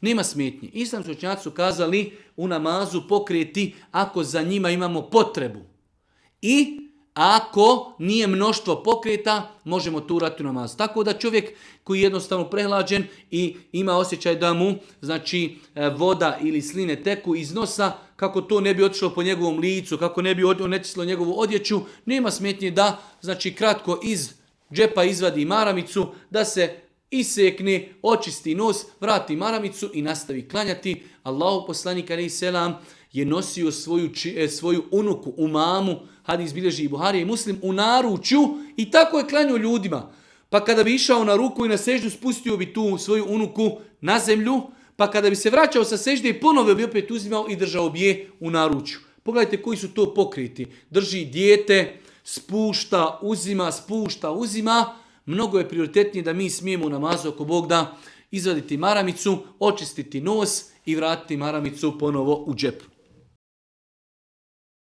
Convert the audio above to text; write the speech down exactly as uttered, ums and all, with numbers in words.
nema smetnje. Islamski učenjaci su kazali u namazu pokrijeti ako za njima imamo potrebu. I ako nije mnoštvo pokreta, možemo tu urati u namazu. Tako da čovjek koji je jednostavno prehlađen i ima osjećaj da mu znači, voda ili sline teku iz nosa, kako to ne bi otišlo po njegovom licu, kako ne bi onečistilo njegovu odjeću, nema smetnje da znači, kratko iz džepa izvadi maramicu, da se isekne, očisti nos, vrati maramicu i nastavi klanjati. Allahu poslanik alejhi selam je nosio svoju, svoju unuku, umamu, hadis bilježi i Buharija i Muslim, u naručju i tako je klanjao ljudima. Pa kada bi išao na ruku i na seždu, spustio bi tu svoju unuku na zemlju, pa kada bi se vraćao sa sežde i ponovo bi opet uzimao i držao bi je u naručju. Pogledajte koji su to pokriti. Drži dijete, spušta, uzima, spušta, uzima. Mnogo je prioritetnije da mi smijemo u namazu oko Bog da izvaditi maramicu, očistiti nos i vratiti maramicu ponovo u džep.